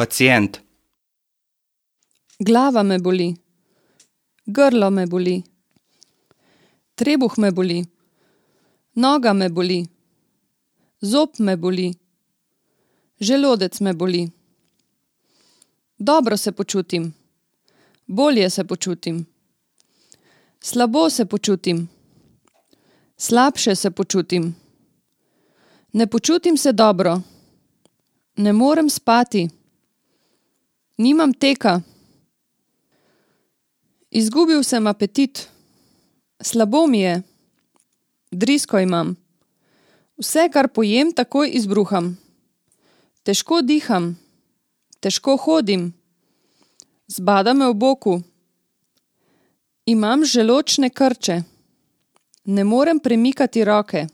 Pacient. Glava me boli. Grlo me boli. Trebuh me boli. Noga me boli. Zob me boli. Želodec me boli. Dobro se počutim. Bolje se počutim. Slabo se počutim. Slabše se počutim. Ne počutim se dobro. Ne morem spati. Nimam teka. Izgubil sem apetit. Slabo mi je. Drisko imam. Vse, kar pojem, takoj izbruham. Težko diham. Težko hodim. Zbada me v boku. Imam želodčne krče. Ne morem premikati roke.